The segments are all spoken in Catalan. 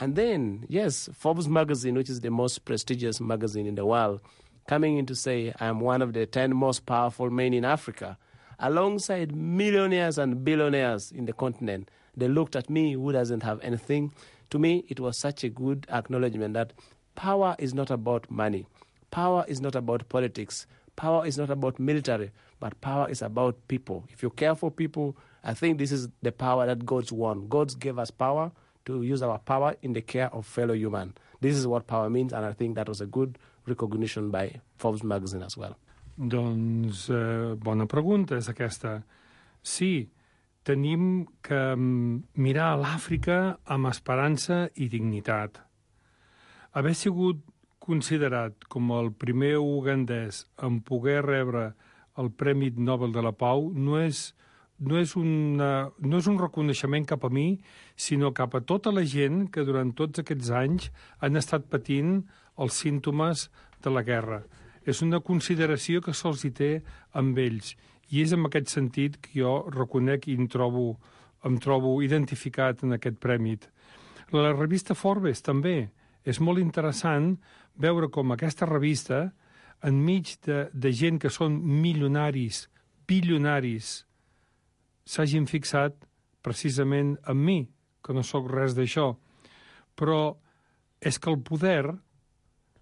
And then, yes, Forbes magazine, which is the most prestigious magazine in the world, coming in to say I'm one of the 10 most powerful men in Africa, alongside millionaires and billionaires in the continent. They looked at me, who doesn't have anything. To me, it was such a good acknowledgement that power is not about money. Power is not about politics. Power is not about military, but power is about people. If you care for people, I think this is the power that God's won. God gave us power to use our power in the care of fellow human. This is what power means, and I think that was a good recognition by Forbes magazine as well. Doncs bona pregunta és aquesta. Sí, tenim que mirar a l'Àfrica amb esperança i dignitat. Haver sigut considerat com el primer ugandès en poder rebre el Premi Nobel de la Pau no és un reconeixement cap a mi, sinó cap a tota la gent que durant tots aquests anys han estat patint els símptomes de la guerra. És una consideració que se'ls hi té amb ells, i és en aquest sentit que jo reconec i em trobo identificat en aquest premi. La revista Forbes també. És molt interessant veure com aquesta revista, enmig de gent que són milionaris, bilionaris, s'hagin fixat precisament en mi, que no sóc res d'això. Però és que el poder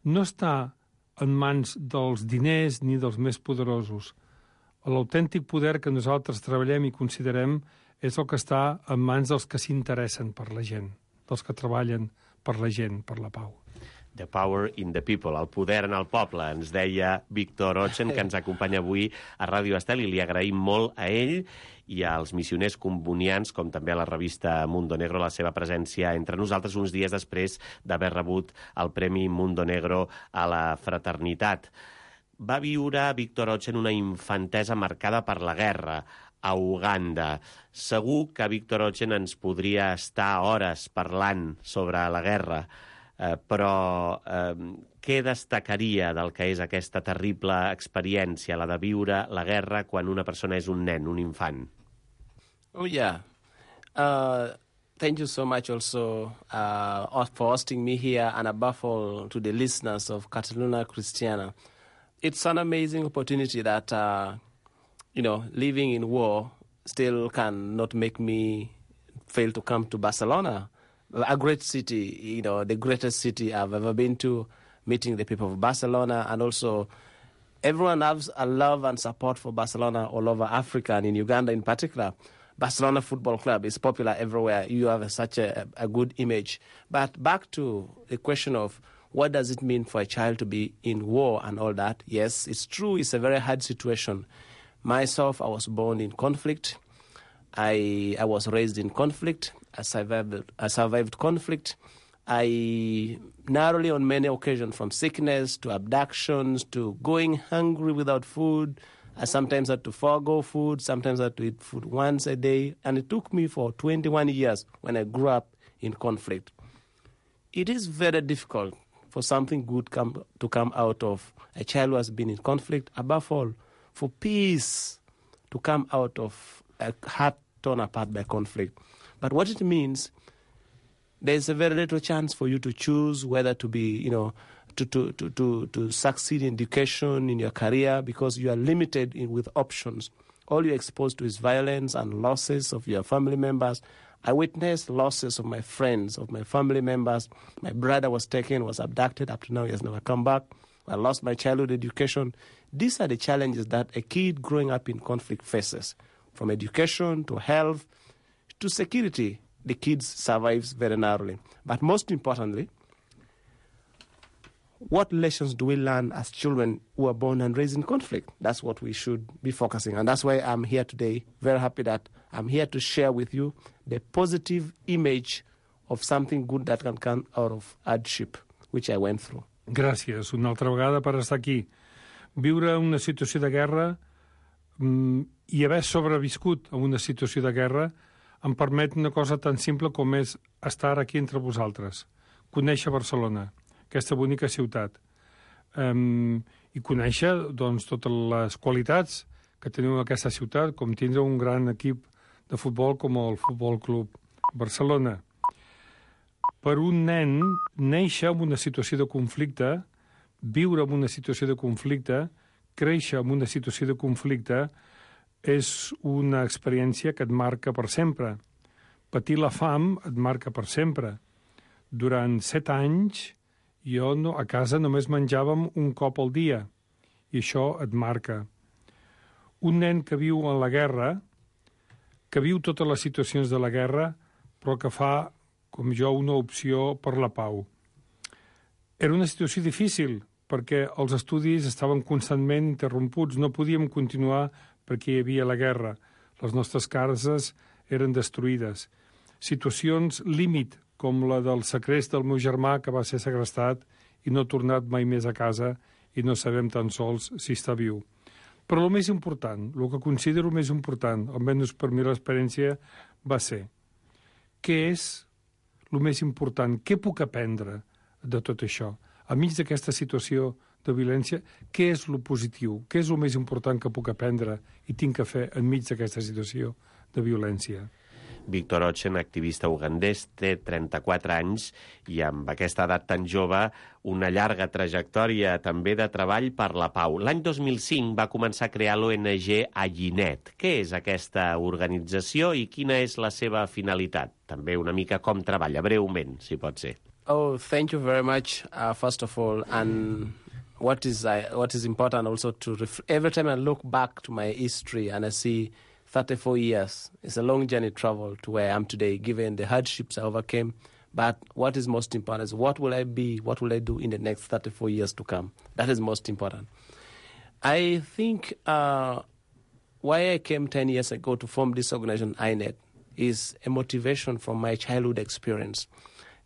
no està en mans dels diners ni dels més poderosos. L'autèntic poder que nosaltres treballem i considerem és el que està en mans dels que s'interessen per la gent, dels que treballen per la gent, per la pau. The power in the people, el poder en el poble, ens deia Víctor Ochen, que ens acompanya avui a Ràdio Estel, i li agraïm molt a ell i als missioners combonians, com també a la revista Mundo Negro, la seva presència entre nosaltres uns dies després d'haver rebut el Premi Mundo Negro a la fraternitat. Va viure Víctor Ochen una infantesa marcada per la guerra a Uganda. Segur que Víctor Ochen ens podria estar hores parlant sobre la guerra, però què destacaria del que és aquesta terrible experiència, la de viure la guerra quan una persona és un nen, un infant? Oh, yeah. Thank you so much also for hosting me here, and above all to the listeners of Cataluna Cristiana. It's an amazing opportunity that, living in war still cannot make me fail to come to Barcelona, a great city, the greatest city I've ever been to, meeting the people of Barcelona, and also everyone has a love and support for Barcelona all over Africa, and in Uganda in particular. Barcelona Football Club is popular everywhere. You have such a good image. But back to the question of what does it mean for a child to be in war and all that? Yes, it's true. It's a very hard situation. Myself, I was born in conflict. I was raised in conflict. I survived conflict. I narrowly on many occasions, from sickness to abductions to going hungry without food. I sometimes had to forego food, sometimes I had to eat food once a day, and it took me for 21 years when I grew up in conflict. It is very difficult for something good to come out of a child who has been in conflict, above all, for peace to come out of a heart torn apart by conflict. But what it means, there's a very little chance for you to choose whether to be, to succeed in education, in your career, because you are limited with options. All you're exposed to is violence and losses of your family members. I witnessed losses of my friends, of my family members. My brother was taken, was abducted. Up to now, he has never come back. I lost my childhood education. These are the challenges that a kid growing up in conflict faces, from education to health to security. The kid survives very narrowly. But most importantly, what lessons do we learn as children who are born and raised in conflict? That's what we should be focusing on. That's why I'm here today, very happy that I'm here to share with you the positive image of something good that can come out of hardship, which I went through. Gràcies una altra vegada per estar aquí. Viure una situació de guerra i haver sobreviscut a una situació de guerra em permet una cosa tan simple com és estar aquí entre vosaltres, conèixer Barcelona, aquesta bonica ciutat, i conèixer doncs, totes les qualitats que teniu en aquesta ciutat, com tindre un gran equip de futbol com el Futbol Club Barcelona. per un nen néixer en una situació de conflicte, viure en una situació de conflicte, créixer en una situació de conflicte, és una experiència que et marca per sempre. Patir la fam et marca per sempre. Durant 7 anys, jo a casa només menjàvem un cop al dia, i això et marca. Un nen que viu en la guerra, que viu totes les situacions de la guerra, però que fa, com jo, una opció per la pau. Era una situació difícil, perquè els estudis estaven constantment interromputs, no podíem continuar perquè hi havia la guerra. Les nostres cases eren destruïdes. Situacions límit, com la del segrest del meu germà, que va ser segrestat i no ha tornat mai més a casa i no sabem tan sols si està viu. Però el més important, el que considero més important, almenys per mi l'experiència, va ser què és el més important, què puc aprendre de tot això? Enmig d'aquesta situació de violència, què és el positiu? Què és el més important que puc aprendre i tinc que fer enmig d'aquesta situació de violència? Víctor Ochen, activista ugandès, té 34 anys i amb aquesta edat tan jove una llarga trajectòria també de treball per la pau. L'any 2005 va començar a crear l'ONG Ayinet. Què és aquesta organització i quina és la seva finalitat? També una mica com treballa, breument, si pot ser. Oh, thank you very much, first of all. And what is important also every time I look back to my history and I see 34 years. It's a long journey travel to where I am today, given the hardships I overcame. But what is most important is what will I be, what will I do in the next 34 years to come? That is most important. I think why I came 10 years ago to form this organization, INET, is a motivation from my childhood experience.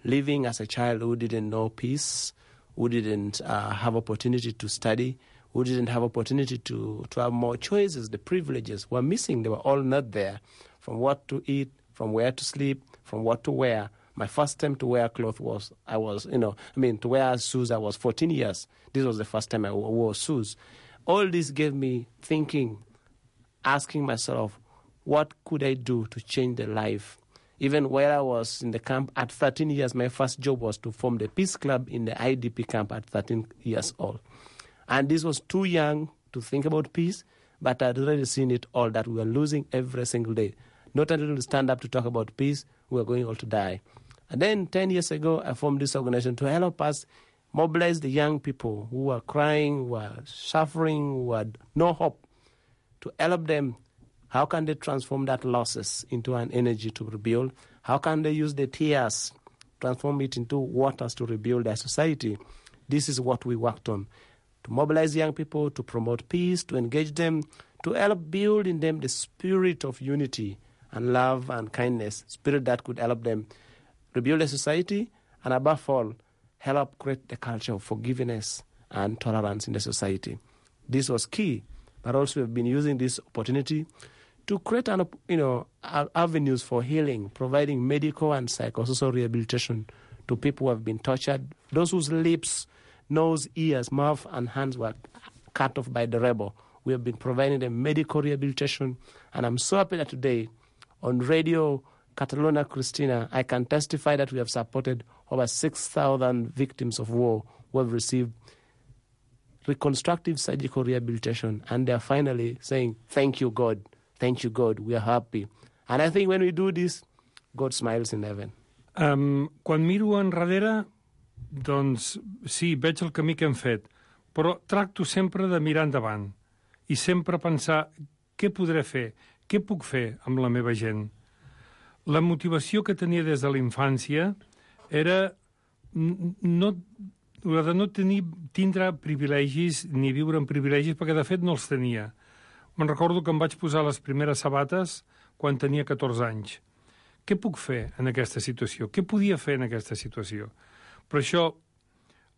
Living as a child who didn't know peace, who didn't have opportunity to study, who didn't have opportunity to have more choices, the privileges were missing. They were all not there. From what to eat, from where to sleep, from what to wear. My first time to wear clothes to wear shoes, I was 14 years. This was the first time I wore shoes. All this gave me thinking, asking myself, what could I do to change the life? Even where I was in the camp at 13 years, my first job was to form the Peace Club in the IDP camp at 13 years old. And this was too young to think about peace, but I'd already seen it all, that we were losing every single day. Not until we stand up to talk about peace, we were going all to die. And then 10 years ago, I formed this organization to help us mobilize the young people who were crying, who were suffering, who had no hope, to help them. How can they transform that losses into an energy to rebuild? How can they use the tears, transform it into waters to rebuild their society? This is what we worked on. To mobilize young people, to promote peace, to engage them, to help build in them the spirit of unity and love and kindness, spirit that could help them rebuild a society, and above all, help create the culture of forgiveness and tolerance in the society. This was key, but also we've been using this opportunity to create avenues for healing, providing medical and psychosocial rehabilitation to people who have been tortured, those whose lips, nose, ears, mouth, and hands were cut off by the rebel. We have been providing them medical rehabilitation, and I'm so happy that today on Radio Catalunya Cristina, I can testify that we have supported over 6,000 victims of war who have received reconstructive surgical rehabilitation, and they are finally saying, thank you, God, we are happy. And I think when we do this, God smiles in heaven. Quan miro enrere, doncs sí, veig el camí que hem fet, però tracto sempre de mirar endavant i sempre pensar què podré fer, què puc fer amb la meva gent. La motivació que tenia des de la infància era la de no tindre privilegis ni viure en privilegis, perquè de fet no els tenia. Me'n recordo que em vaig posar les primeres sabates quan tenia 14 anys. Què puc fer en aquesta situació? Què podia fer en aquesta situació? Per això,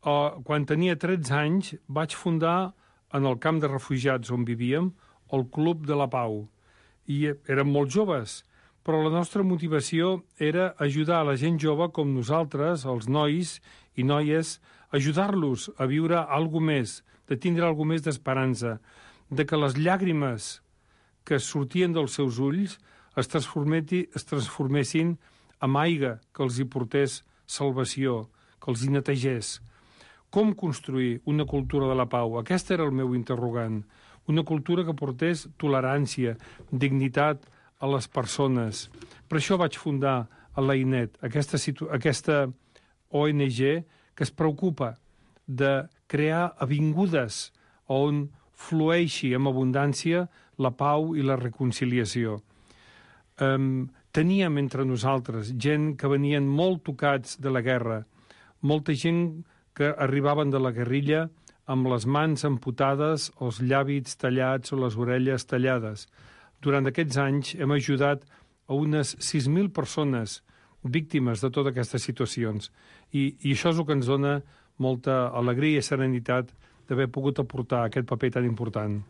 quan tenia 13 anys, vaig fundar en el camp de refugiats on vivíem el Club de la Pau. I érem molt joves, però la nostra motivació era ajudar a la gent jove com nosaltres, els nois i noies, ajudar-los a viure alguna més, de tindre alguna més d'esperança, de que les llàgrimes que sortien dels seus ulls es transformessin en aigua que els hi portés salvació, que els hi netegés. Com construir una cultura de la pau? Aquest era el meu interrogant. Una cultura que portés tolerància, dignitat a les persones. Per això vaig fundar a l'AINET, aquesta ONG que es preocupa de crear avingudes on flueixi amb abundància la pau i la reconciliació. Teníem entre nosaltres gent que venien molt tocats de la guerra, molta gent que arribaven de la guerrilla amb les mans amputades, els llavis tallats o les orelles tallades. Durant aquests anys hem ajudat a unes 6.000 persones víctimes de totes aquestes situacions. I això és el que ens dona molta alegria i serenitat d'haver pogut aportar aquest paper tan important.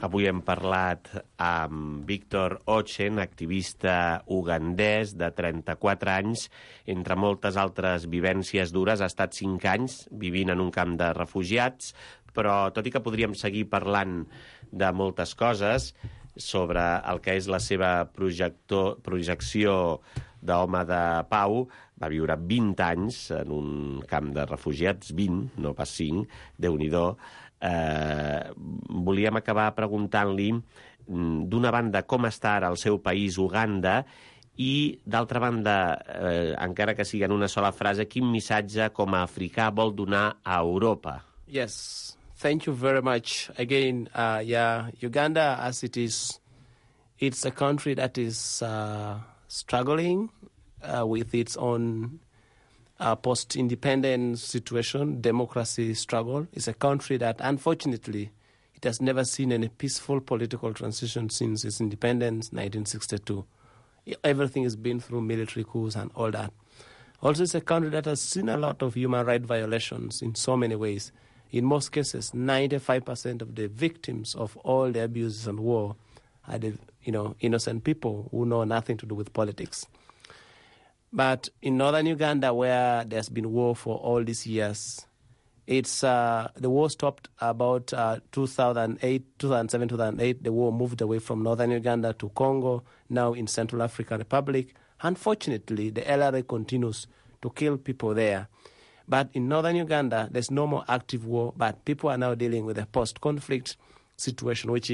Avui hem parlat amb Víctor Ochen, activista ugandès de 34 anys. Entre moltes altres vivències dures, ha estat 5 anys vivint en un camp de refugiats, però tot i que podríem seguir parlant de moltes coses sobre el que és la seva projecció d'home de pau, va viure 20 anys en un camp de refugiats, 20, no pas 5, Déu-n'hi-do. Volíem acabar preguntant-li, d'una banda, com està ara el seu país, Uganda, i, d'altra banda, encara que sigui en una sola frase, quin missatge com a africà vol donar a Europa? Yes, thank you very much. Again, Uganda, as it is, it's a country that is struggling with its own post-independence situation, democracy struggle. It's a country that, unfortunately, it has never seen any peaceful political transition since its independence, 1962. Everything has been through military coups and all that. Also, it's a country that has seen a lot of human rights violations in so many ways. In most cases, 95% of the victims of all the abuses and war are the innocent people who know nothing to do with politics. But in northern Uganda, where there's been war for all these years, it's the war stopped about 2007, 2008. The war moved away from northern Uganda to Congo, now in Central African Republic. Unfortunately, the LRA continues to kill people there. But in northern Uganda, there's no more active war, but people are now dealing with a post-conflict situation, which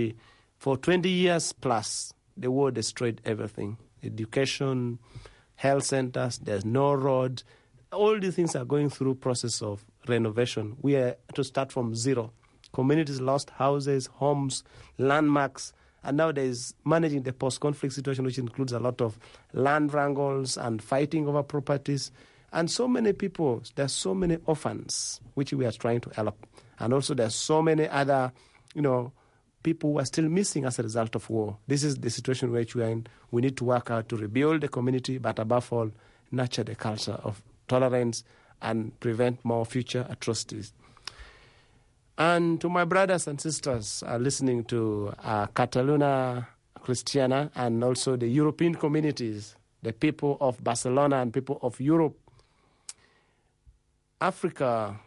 for 20 years plus, the war destroyed everything. Education, health centers, there's no road. All these things are going through process of renovation. We are to start from zero. Communities lost houses, homes, landmarks, and now there's managing the post-conflict situation, which includes a lot of land wrangles and fighting over properties. And so many people, there's so many orphans, which we are trying to help. And also there's so many other, people who are still missing as a result of war. This is the situation which we are in. We need to work out to rebuild the community, but above all, nurture the culture of tolerance and prevent more future atrocities. And to my brothers and sisters listening to Cataluna Christiana and also the European communities, the people of Barcelona and people of Europe, Africa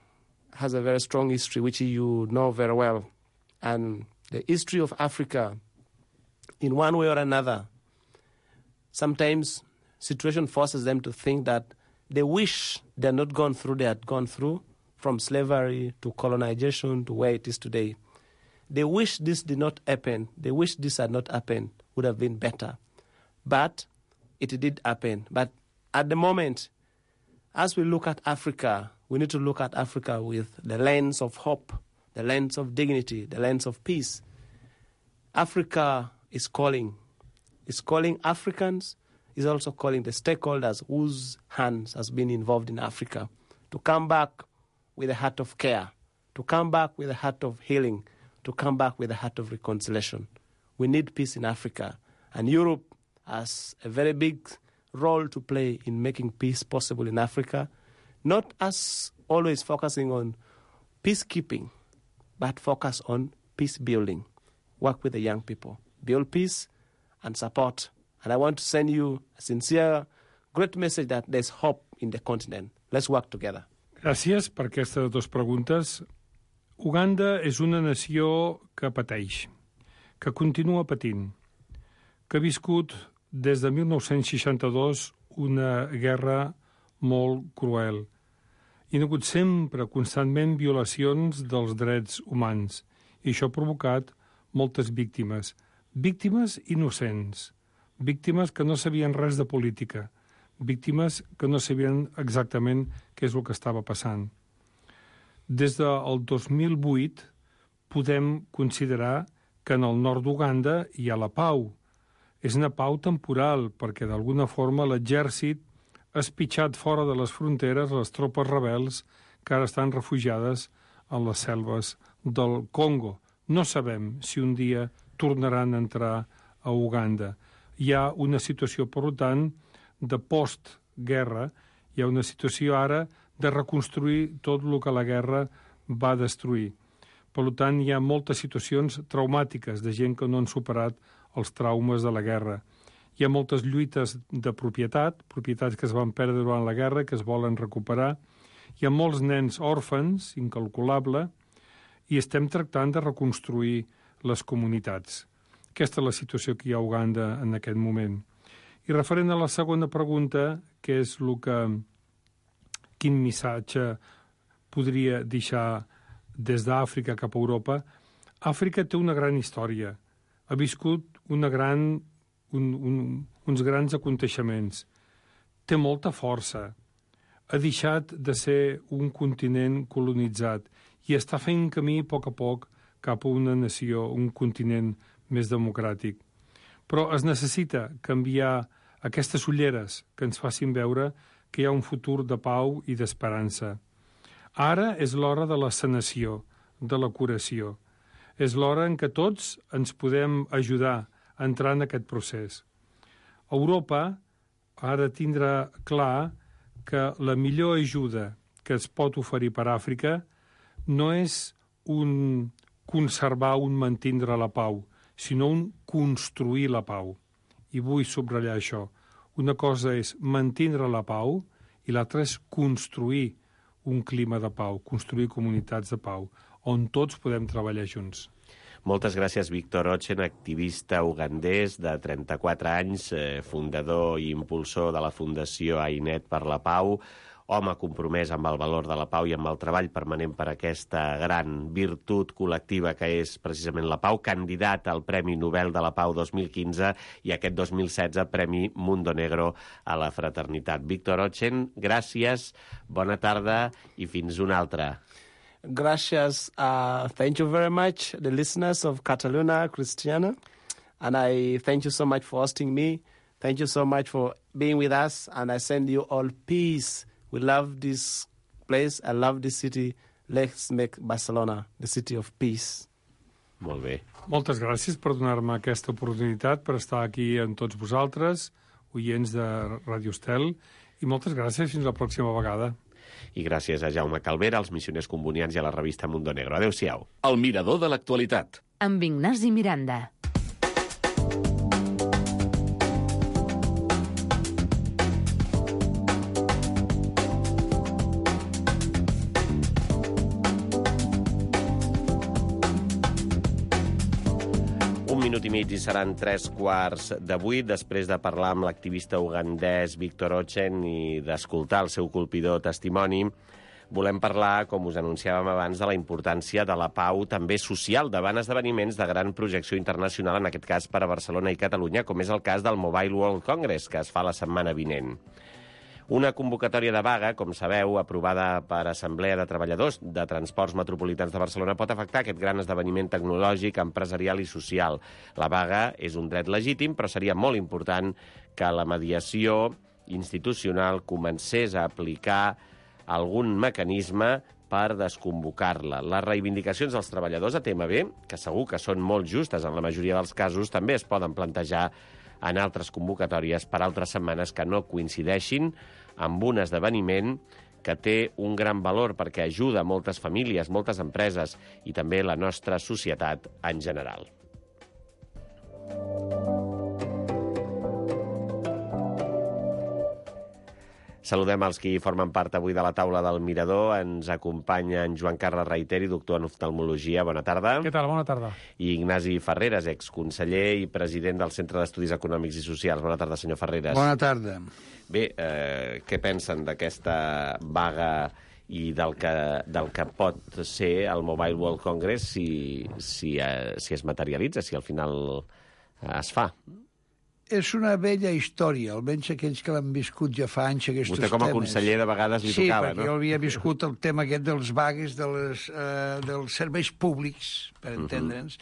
has a very strong history, which you know very well. And the history of Africa, in one way or another, sometimes situation forces them to think that they wish they had not gone through, they had gone through, from slavery to colonization to where it is today. They wish this did not happen. They wish this had not happened, would have been better. But it did happen. But at the moment, as we look at Africa, we need to look at Africa with the lens of hope, the lens of dignity, the lens of peace. Africa is calling. It's calling Africans. It's also calling the stakeholders whose hands has been involved in Africa to come back with a heart of care, to come back with a heart of healing, to come back with a heart of reconciliation. We need peace in Africa. And Europe has a very big role to play in making peace possible in Africa, not as always focusing on peacekeeping, but focus on peace building. Work with the young people, build peace and support. And I want to send you a sincere, great message that there's hope in the continent. Let's work together. Gràcies per aquestes dues preguntes. Uganda és una nació que pateix, que continua patint, que ha viscut des de 1962 una guerra molt cruel. Hi ha hagut sempre, constantment, violacions dels drets humans, i això ha provocat moltes víctimes. Víctimes innocents, víctimes que no sabien res de política, víctimes que no sabien exactament què és el que estava passant. Des del 2008 podem considerar que en el nord d'Uganda hi ha la pau. És una pau temporal, perquè d'alguna forma l'exèrcit ha espitxat fora de les fronteres les tropes rebels que ara estan refugiades en les selves del Congo. No sabem si un dia tornaran a entrar a Uganda. Hi ha una situació, per tant, de postguerra, hi ha una situació ara de reconstruir tot el que la guerra va destruir. Per tant, hi ha moltes situacions traumàtiques de gent que no han superat els traumes de la guerra. Hi ha moltes lluites de propietats que es van perdre durant la guerra, que es volen recuperar. Hi ha molts nens òrfans, incalculable, i estem tractant de reconstruir les comunitats. Aquesta és la situació que hi ha a Uganda en aquest moment. I referent a la segona pregunta, que és quin missatge podria deixar des d'Àfrica cap a Europa, Àfrica té una gran història. Ha viscut uns grans aconteixements. Té molta força. Ha deixat de ser un continent colonitzat i està fent camí a poc cap a una nació, un continent més democràtic. Però es necessita canviar aquestes ulleres que ens facin veure que hi ha un futur de pau i d'esperança. Ara és l'hora de la sanació, de la curació. És l'hora en què tots ens podem ajudar a entrar en aquest procés. Europa ha de tindre clar que la millor ajuda que es pot oferir per Àfrica no és un conservar, un mantindre la pau, sinó un construir la pau. I vull subratllar això. Una cosa és mantindre la pau i l'altra és construir un clima de pau, construir comunitats de pau, on tots podem treballar junts. Moltes gràcies, Víctor Ochen, activista ugandès de 34 anys, fundador i impulsor de la Fundació AINET per la Pau, home compromès amb el valor de la pau i amb el treball permanent per aquesta gran virtut col·lectiva que és precisament la pau, candidat al Premi Nobel de la Pau 2015 i aquest 2016 Premi Mundo Negro a la Fraternitat. Víctor Ochen, gràcies, bona tarda i fins una altra. Gracias. Thank you very much, the listeners of Cataluna Cristiana. And I thank you so much for hosting me. Thank you so much for being with us. And I send you all peace. We love this place. I love this city. Let's make Barcelona the city of peace. Molt bé. Moltes gràcies per donar-me aquesta oportunitat per estar aquí amb tots vosaltres, oients de Ràdio Estel, i moltes gràcies fins la pròxima vegada. I gràcies a Jaume Calvera, als missioners combonians i a la revista Mundo Negro. Adéu-siau. El mirador de l'actualitat. Amb Ignasi Miranda. Minut i mig i seran 3:15 després de parlar amb l'activista ugandès Víctor Ochen i d'escoltar el seu colpidor testimoni. Volem parlar, com us anunciàvem abans, de la importància de la pau també social davant esdeveniments de gran projecció internacional, en aquest cas per a Barcelona i Catalunya, com és el cas del Mobile World Congress, que es fa la setmana vinent. Una convocatòria de vaga, com sabeu, aprovada per Assemblea de Treballadors de Transports Metropolitans de Barcelona, pot afectar aquest gran esdeveniment tecnològic, empresarial i social. La vaga és un dret legítim, però seria molt important que la mediació institucional comencés a aplicar algun mecanisme per desconvocar-la. Les reivindicacions dels treballadors a TMB, que segur que són molt justes en la majoria dels casos, també es poden plantejar en altres convocatòries per altres setmanes que no coincideixin amb un esdeveniment que té un gran valor perquè ajuda moltes famílies, moltes empreses i també la nostra societat en general. Saludem els qui formen part avui de la taula del Mirador. Ens acompanya en Joan Carles Reiteri, doctor en oftalmologia. Bona tarda. Què tal? Bona tarda. I Ignasi Ferreres, exconseller i president del Centre d'Estudis Econòmics i Socials. Bona tarda, senyor Ferreres. Bona tarda. Bé, què pensen d'aquesta vaga i del que pot ser el Mobile World Congress si es materialitza, si al final es fa? És una vella història, almenys aquells que l'han viscut ja fa anys, aquests temes. Vostè com a conseller de vegades li tocava, no? Sí, perquè jo havia viscut el tema aquest dels vagues, dels serveis públics, per entendre'ns,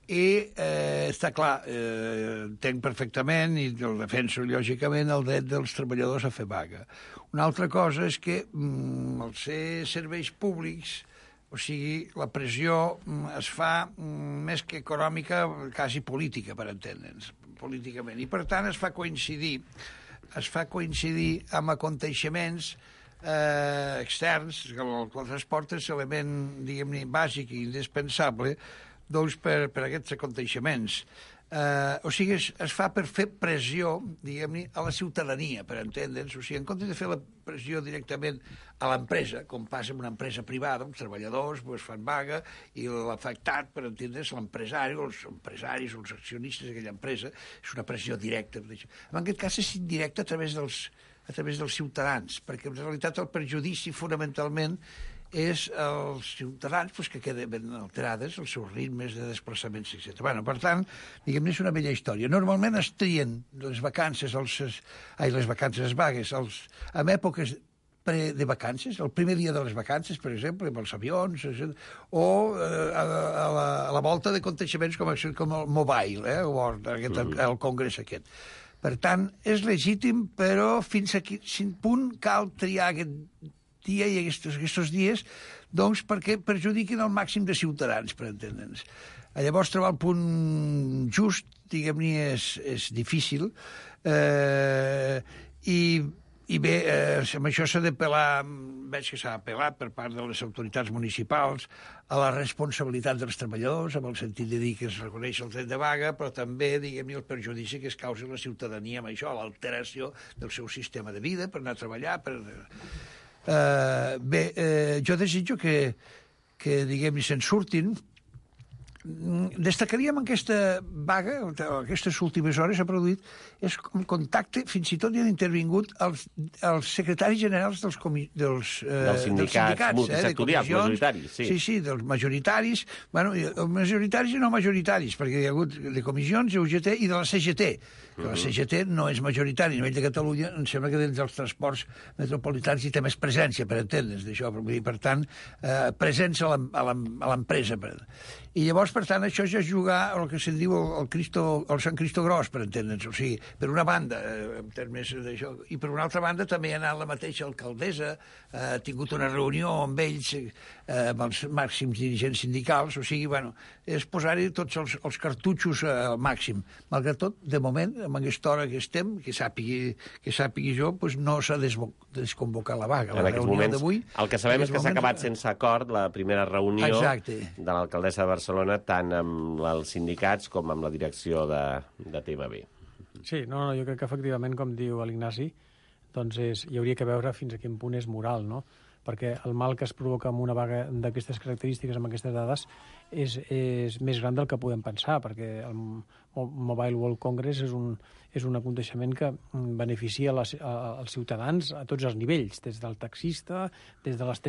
i està clar, entenc perfectament i el defenso lògicament el dret dels treballadors a fer vaga. Una altra cosa és que al ser serveis públics, o sigui, la pressió es fa més que econòmica, quasi política, per entendre'ns, políticament. I, per tant, es fa coincidir amb aconteixements externs, que el transport és element, diguem-ne, bàsic i indispensable, doncs, per aquests aconteixements. O sigui, es fa per fer pressió, diguem-ne, a la ciutadania, per entendre'ns. O sigui, en comptes de fer la pressió directament a l'empresa, com passa en una empresa privada, els treballadors fan vaga i l'afectat, per entendre's, l'empresari o els empresaris o els accionistes d'aquella empresa, és una pressió directa. En aquest cas és indirecta a través dels ciutadans, perquè en realitat el perjudici fonamentalment és els ciutadans que queden ben alterades, els seus ritmes de desplaçaments, etc. Per tant, diguem-ne, és una bella història. Normalment es trien les vacances, les vagues, en èpoques de vacances, el primer dia de les vacances, per exemple, amb els avions, o a la volta d'aconteixements com el Mobile World, el congrés aquest. Per tant, és legítim, però fins a quin punt cal triar aquest dia i aquests dies, doncs, perquè perjudiquin el màxim de ciutadans, per entendre'ns. Llavors, trobar el punt just, diguem-ne, és difícil, i bé, amb això s'ha d'apel·lar, veig que s'ha apel·lat per part de les autoritats municipals a la responsabilitat dels treballadors, amb el sentit de dir que es reconeix el dret de vaga, però també, diguem-ne, el perjudici que es causa a la ciutadania amb això, l'alteració del seu sistema de vida per anar a treballar, jo desitjo que diguem-ne, se'n surtin. Destacaríem aquesta vaga, aquestes últimes hores s'ha produït, és un contacte, fins i tot hi han intervingut els secretaris generals dels sindicats multisectorials, majoritaris. Sí, dels majoritaris, majoritaris i no majoritaris, perquè hi ha hagut de comissions, UGT i de la CGT. La CGT no és majoritari a nivell de Catalunya, em sembla que dins dels transports metropolitans hi té més presència, per entendre's d'això, per tant, presència a l'empresa. I llavors, per tant, això ja és jugar el que se'n diu el Sant Cristo Gros, per entendre'ns. O sigui, per una banda, en termes d'això, i per una altra banda també ha anat la mateixa alcaldessa, ha tingut una reunió amb ells, amb els màxims dirigents sindicals, o sigui, és posar-hi tots els cartutxos al màxim. Malgrat tot, de moment, amb aquesta hora que estem, que sàpigui jo, no s'ha desconvocat la vaga. En aquests moments, el que sabem és que s'ha acabat sense acord la primera reunió de l'alcaldessa de Barcelona, tant amb els sindicats com amb la direcció de TMB. Sí, jo crec que efectivament, com diu l'Ignasi, doncs hi hauria que veure fins a quin punt és moral, no? Perquè el mal que es provoca amb una vaga d'aquestes característiques, amb aquestes dades, és més gran del que podem pensar, perquè el Mobile World Congress és un aconteixement que beneficia als ciutadans a tots els nivells, des del taxista, des de les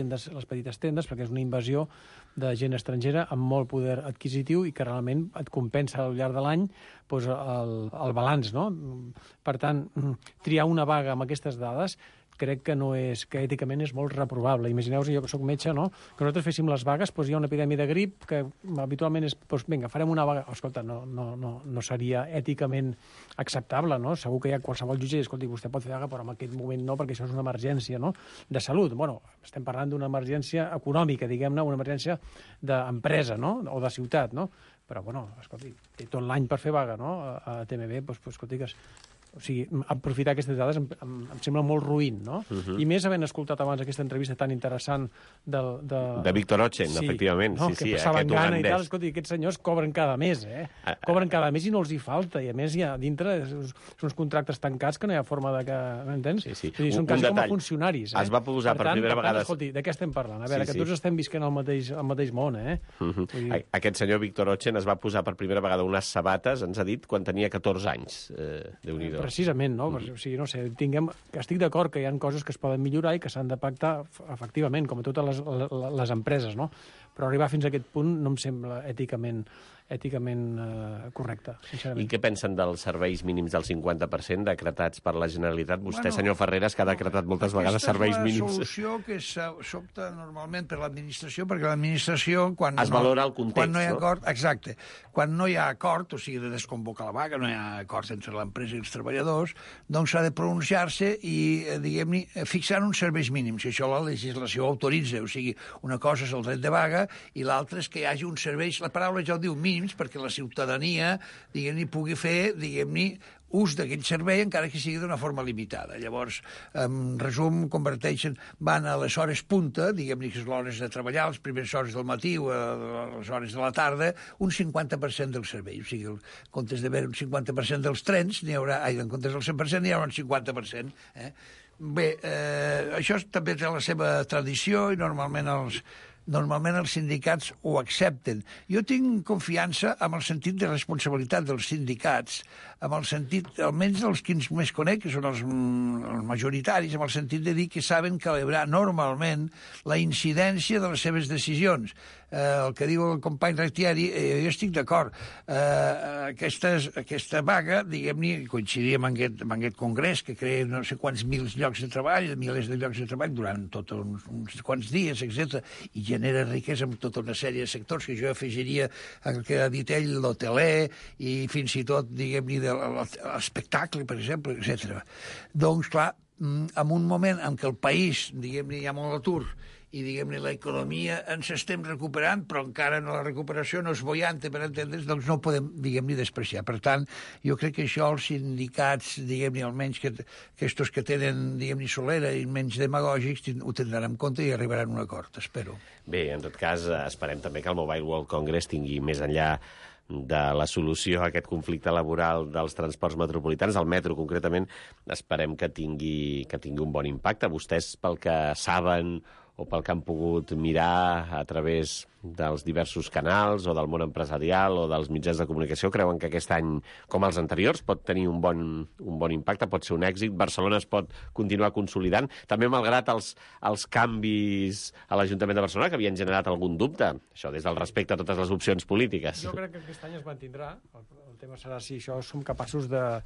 petites tendes, perquè és una invasió de gent estrangera amb molt poder adquisitiu i que realment et compensa al llarg de l'any el balanç, no? Per tant, triar una vaga amb aquestes dades crec que èticament és molt reprovable. Imagineu-vos, jo que soc metge, no? Que nosaltres féssim les vagues, hi ha una epidèmia de grip que habitualment és, vinga, farem una vaga. Escolta, no seria èticament acceptable, no? Segur que hi ha qualsevol jutge i, escolti, vostè pot fer vaga, però en aquest moment no, perquè això és una emergència, no? De salut. Estem parlant d'una emergència econòmica, diguem-ne, una emergència d'empresa, no? O de ciutat, no? Però, escolti, té tot l'any per fer vaga, no? A TMB, escolti, O sigui, aprofitar aquestes dades em sembla molt ruïn, no? I més havent escoltat abans aquesta entrevista tan interessant de Víctor Ochen, efectivament. No? Sí, que passaven aquest gana i ugandès. tal. Escolta, aquests senyors cobren cada mes, cobren cada mes i no els hi falta. I a més, ja dintre són uns contractes tancats que no hi ha forma de que... M'entens? Sí. Vull dir, són quasi com a funcionaris. Es va posar per primera vegada... Escolti, de què estem parlant? A veure, que tots estem visquent al mateix món, Aquest senyor Víctor Ochen es va posar per primera vegada unes sabates, ens ha dit, quan tenia 14 anys. Déu-n'hi-do. Precisament, no? O sigui, no sé, estic d'acord que hi ha coses que es poden millorar i que s'han de pactar efectivament, com a totes les empreses, no? Però arribar fins a aquest punt no em sembla èticament correcte, sincerament. I què pensen dels serveis mínims del 50% decretats per la Generalitat? Vostè, senyor Ferreras, que ha decretat moltes vegades serveis mínims. Aquesta és la solució que s'opta normalment per l'administració, perquè l'administració, quan es valora el context, quan no hi ha acord, exacte. Quan no hi ha acord, o sigui, de desconvocar la vaga, no hi ha acord entre l'empresa i els treballadors, doncs s'ha de pronunciar-se i, diguem-ne, fixar uns serveis mínims. I això la legislació autoritza. O sigui, una cosa és el dret de vaga i l'altra és que hi hagi uns serveis, la paraula ja ho diu, mínims, perquè la ciutadania, diguem-ne, pugui fer, diguem-ne, ús d'aquell servei, encara que sigui d'una forma limitada. Llavors, en resum, van a les hores punta, diguem-ne que és l'hores de treballar, les primeres hores del matí o a les hores de la tarda, un 50% del servei. O sigui, en comptes d'haver un 50% dels trens, en comptes del 100%, n'hi haurà un 50%. Bé, això també té la seva tradició i normalment els sindicats ho accepten. Jo tinc confiança amb el sentit de responsabilitat dels sindicats, amb el sentit, almenys dels que més conec, que són els majoritaris, amb el sentit de dir que saben calibrar normalment la incidència de les seves decisions. El que diu el company Rectiari, jo estic d'acord. Aquesta vaga, diguem-ne, coincidia amb aquest congrés que crea no sé quants milers de llocs de treball, milers de llocs de treball durant tot uns quants dies, etc. I genera riquesa en tota una sèrie de sectors que jo afegiria el que ha dit ell, l'hoteler i fins i tot, diguem-ne, de l'espectacle, per exemple, etc. Doncs, clar, en un moment en què el país, diguem-ne, hi ha molt atur i, diguem-ne, l'economia ens estem recuperant, però encara no la recuperació no és boiante, per entendre's, doncs no ho podem, diguem-ne, despreciar. Per tant, jo crec que això els sindicats, diguem-ne, almenys aquests que tenen, diguem-ne, solera i menys demagògics, ho tindran en compte i arribaran a un acord, espero. Bé, en tot cas, esperem també que el Mobile World Congress tingui més enllà de la solució a aquest conflicte laboral dels transports metropolitans, el metro concretament, esperem que tingui un bon impacte. Vostès, pel que saben o pel que han pogut mirar a través dels diversos canals o del món empresarial o dels mitjans de comunicació, creuen que aquest any, com els anteriors, pot tenir un bon impacte, pot ser un èxit. Barcelona es pot continuar consolidant, també malgrat els canvis a l'Ajuntament de Barcelona, que havien generat algun dubte, això des del respecte a totes les opcions polítiques. Jo crec que aquest any es mantindrà. El tema serà si això som capaços de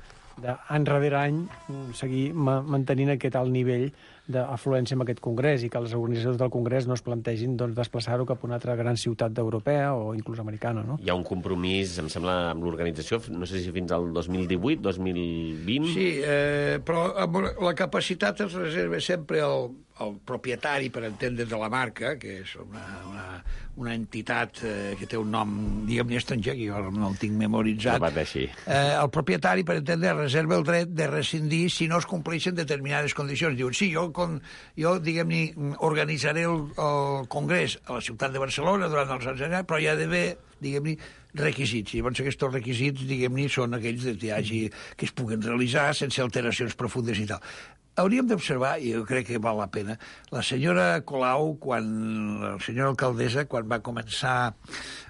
any darrere any seguir mantenint aquest alt nivell d'afluència en aquest congrés i que les organitzacions del congrés no es plantegin desplaçar-ho cap a una altra gran ciutat europea o inclús americana, no? Hi ha un compromís, em sembla, amb l'organització, no sé si fins al 2018, 2020... Sí, però la capacitat es reserva sempre el propietari, per entendre, de la marca, que és una entitat que té un nom, diguem-ne, estranger, que jo no el tinc memoritzat. No pateixi. El propietari, per entendre, reserva el dret de rescindir si no es compleixen determinades condicions. Diuen, sí, jo diguem-ne, organitzaré el congrés a la ciutat de Barcelona durant els anys, però hi ha d'haver, diguem-ne, requisits. I llavors aquests requisits, diguem-ne, són aquells que es puguen realitzar sense alteracions profundes i tal. Hauríem d'observar, i jo crec que val la pena, la senyora Colau, la senyora alcaldessa, quan va començar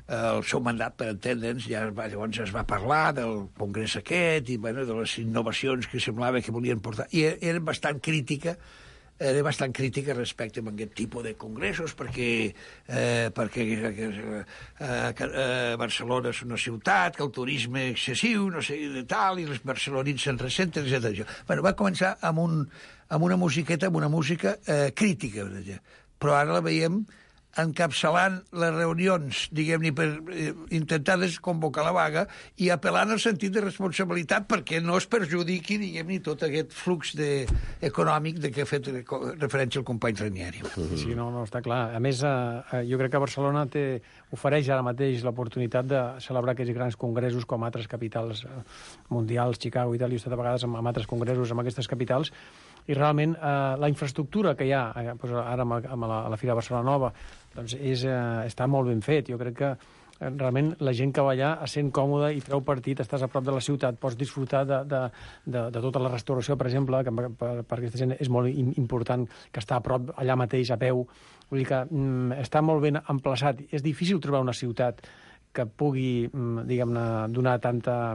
el seu mandat, per entendre'ns, llavors es va parlar del congrés aquest i de les innovacions que semblava que volien portar. I era bastant crítica respecte a aquest tipus de congressos perquè Barcelona és una ciutat, que el turisme excessiu, no sé, de tal, i els barcelonins se'n ressenten, etc. Bueno, va començar amb una música crítica, però ara la veiem encapçalant les reunions, diguem-ne, per intentar desconvocar la vaga i apel·lant al sentit de responsabilitat perquè no es perjudiqui, diguem-ne, tot aquest flux econòmic de què ha fet referència el company Ranieri. Sí, no, està clar. A més, jo crec que Barcelona ofereix ara mateix l'oportunitat de celebrar aquests grans congressos com altres capitals mundials, Chicago i tal, i he estat a vegades amb altres congressos amb aquestes capitals, i realment la infraestructura que hi ha ara a la Fira de Barcelona Nova doncs està molt ben fet. Jo crec que realment la gent que va allà es sent còmoda i treu partit, estàs a prop de la ciutat, pots disfrutar de tota la restauració, per exemple, que per aquesta gent és molt important que està a prop, allà mateix, a peu. Vull dir que està molt ben emplaçat. És difícil trobar una ciutat que pugui, diguem-ne, donar tanta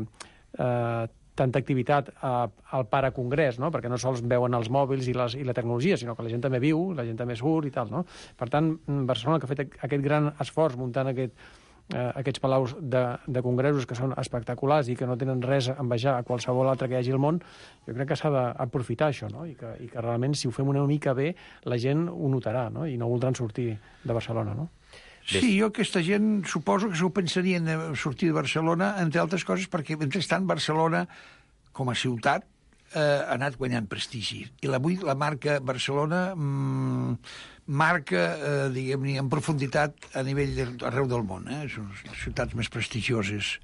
activitat al paracongrés, no? Perquè no sols veuen els mòbils i la tecnologia, sinó que la gent també viu, la gent també surt i tal, no? Per tant, Barcelona, que ha fet aquest gran esforç muntant aquests palaus de congressos que són espectaculars i que no tenen res a envejar a qualsevol altre que hi hagi al món, jo crec que s'ha d'aprofitar això, no? I que realment, si ho fem una mica bé, la gent ho notarà, no? I no voldran sortir de Barcelona, no? Sí, jo aquesta gent suposo que s'ho pensarien de sortir de Barcelona, entre altres coses, perquè mentrestant Barcelona, com a ciutat, ha anat guanyant prestigi. I avui la marca Barcelona marca, diguem-ne, en profunditat a nivell arreu del món. Són les ciutats més prestigioses.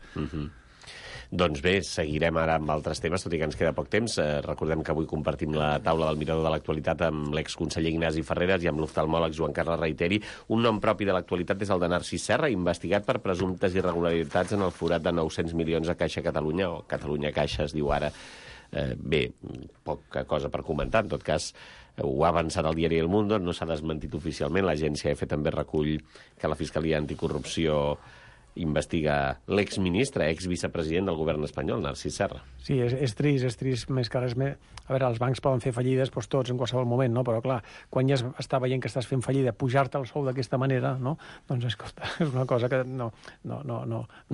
Doncs bé, seguirem ara amb altres temes, tot i que ens queda poc temps. Recordem que avui compartim la taula del Mirador de l'Actualitat amb l'exconseller Ignasi Ferreras i amb l'oftalmòleg Joan Carles Reiteri. Un nom propi de l'actualitat és el de Narcís Serra, investigat per presumptes irregularitats en el forat de 900 milions a Caixa Catalunya, o Catalunya Caixa es diu ara. Bé, poca cosa per comentar. En tot cas, ho ha avançat el diari El Mundo, no s'ha desmentit oficialment. L'agència EFE també recull que la Fiscalia Anticorrupció investiga l'exministre, exvicepresident del govern espanyol, Narcís Serra. Sí, és trist més que res més. A veure, els bancs poden fer fallides doncs, tots en qualsevol moment, no? Però clar, quan ja està veient que estàs fent fallida, pujar-te el sou d'aquesta manera, no? Doncs escolta, és una cosa que no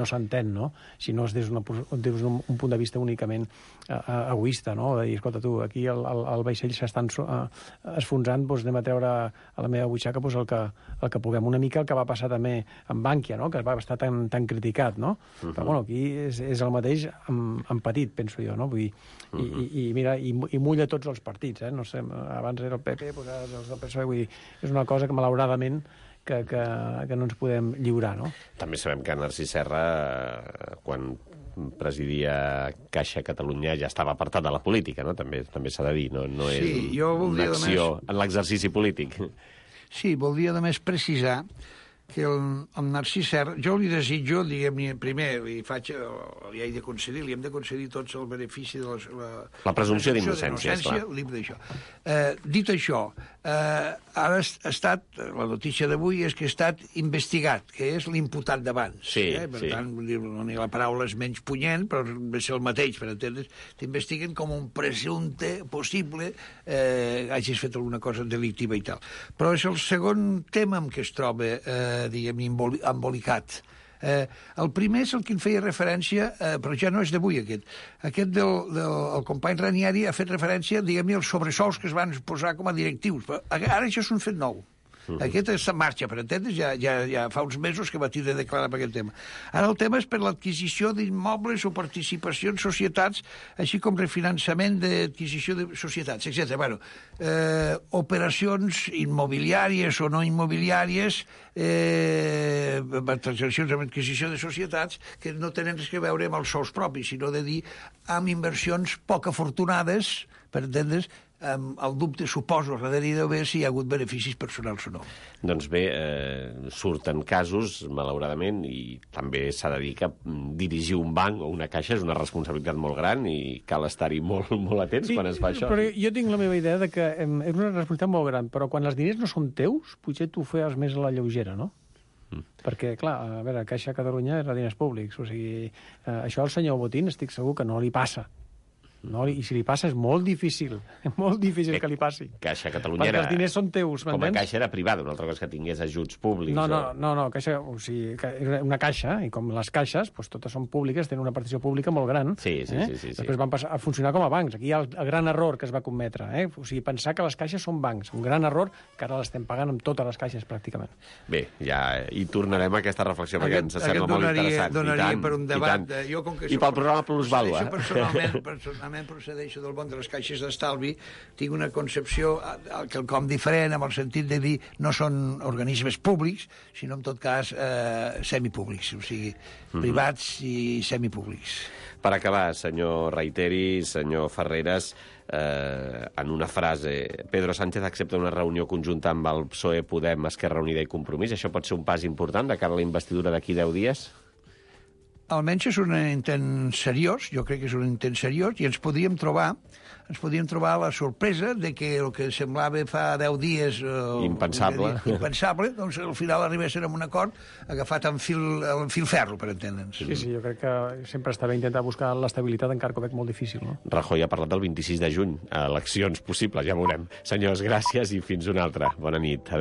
s'entén, no? Si no és des d'un punt de vista únicament egoista, no? De dir, escolta, tu, aquí el vaixell s'estan esfonsant, doncs anem a treure a la meva butxaca doncs, el que puguem. Una mica el que va passar també amb Bankia, no? Que va estar tan criticat, no? Però bueno, aquí és el mateix amb petit, penso jo, no? Vull dir, i mira, i mulla tots els partits, no sé, abans era el PP, doncs ara els del PSOE, vull dir, és una cosa que malauradament que no ens podem lliurar, no? També sabem que Narcís Serra, quan presidia Caixa Catalunya, ja estava apartat de la política, no? També s'ha de dir, no és una acció en l'exercici polític. Sí, voldria només precisar que el Narcís Serra, jo li desitjo, diguem-ne, primer, li he de concedir, li hem de concedir tots el benefici de la presumpció d'innocència, d'això. Dit això, ara ha estat, la notícia d'avui és que ha estat investigat, que és l'imputat d'abans. Sí, per tant, ni la paraula és menys punyent, però ve ser el mateix, per entendre's, t'investiguen com un presumpte possible hagis fet alguna cosa delictiva i tal. Però és el segon tema en què es troba diguem-ne, embolicat. El primer és el que en feia referència, però ja no és d'avui aquest. Aquest del company Ranieri ha fet referència, diguem-ne, als sobresous que es van posar com a directius. Però ara això és un fet nou. Aquest està en marxa, per entendre's, ja fa uns mesos que va tindre de declarar per aquest tema. Ara el tema és per l'adquisició d'immobles o participacions en societats, així com refinançament d'adquisició de societats, etc. Bueno, operacions immobiliàries o no immobiliàries, transaccions amb adquisició de societats que no tenen res a veure amb els sous propis, sinó de dir amb inversions poc afortunades, per entendre's, el dubte, suposo, darrere d'haver si hi ha hagut beneficis personals o no. Doncs bé, surten casos, malauradament, i també s'ha de dir que dirigir un banc o una caixa és una responsabilitat molt gran i cal estar-hi molt, molt atents quan es fa això. Però jo tinc la meva idea de que és una responsabilitat molt gran, però quan els diners no són teus, potser tu feies més a la lleugera, no? Perquè, clar, a veure, Caixa Catalunya era diners públics, o sigui, això al senyor Botín estic segur que no li passa. no? I si li passa és molt difícil que li passi. Caixa Catalunya perquè els diners són teus, com a m'entens? caixa era privada, una altra cosa que tingués ajuts públics. No, caixa, o sigui, era una caixa, i com les caixes, doncs, totes són públiques, tenen una participació pública molt gran. Sí. Després van passar a funcionar com a bancs. Aquí hi ha el gran error que es va cometre. O sigui, pensar que les caixes són bancs. Un gran error que ara l'estem pagant amb totes les caixes, pràcticament. Bé, ja hi tornarem a aquesta reflexió, perquè ens sembla molt interessant. Donaria per un debat. I pel programa Plusvàlua. Personalment procedeixo del món de les caixes d'estalvi, tinc una concepció quelcom diferent, amb el sentit de dir no són organismes públics, sinó en tot cas semipúblics, o sigui, privats i semipúblics. Per acabar, senyor Reiteri, senyor Ferreras, en una frase, Pedro Sánchez accepta una reunió conjunta amb el PSOE, Podem, Esquerra Unida i Compromís. Això pot ser un pas important de cara a la investidura d'aquí 10 dies? Almenys és un intent seriós, jo crec que és un intent seriós, i ens podríem trobar la sorpresa de que el que semblava fa 10 dies impensable, doncs al final arribéssim a un acord agafat en fil ferro, per entendre'ns. Sí, jo crec que sempre està bé intentar buscar l'estabilitat, encara que ho veig molt difícil, no? Rajoy ha parlat del 26 de juny, eleccions possibles, ja veurem. Senyors, gràcies i fins una altra. Bona nit. Adéu.